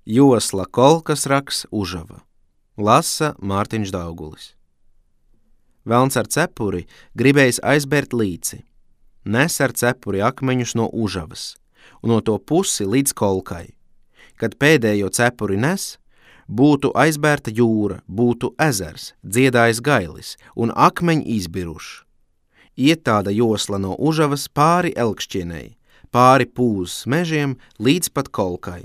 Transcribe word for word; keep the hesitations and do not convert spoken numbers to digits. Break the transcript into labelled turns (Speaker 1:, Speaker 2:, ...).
Speaker 1: Josla Kolkas raks Užava. Lasa Mārtiņš Daugulis. Velns ar cepuri gribējis aizbērt līci. Nes ar cepuri akmeņus no Užavas un no to pusi līdz Kolkai. Kad pēdējo cepuri nes, būtu aizbērta jūra, būtu ezers, dziedājis gailis un akmeņi izbiruši. Iet tāda josla no Užavas pāri Elkšķienei, pāri Pūzes mežiem līdz pat Kolkai.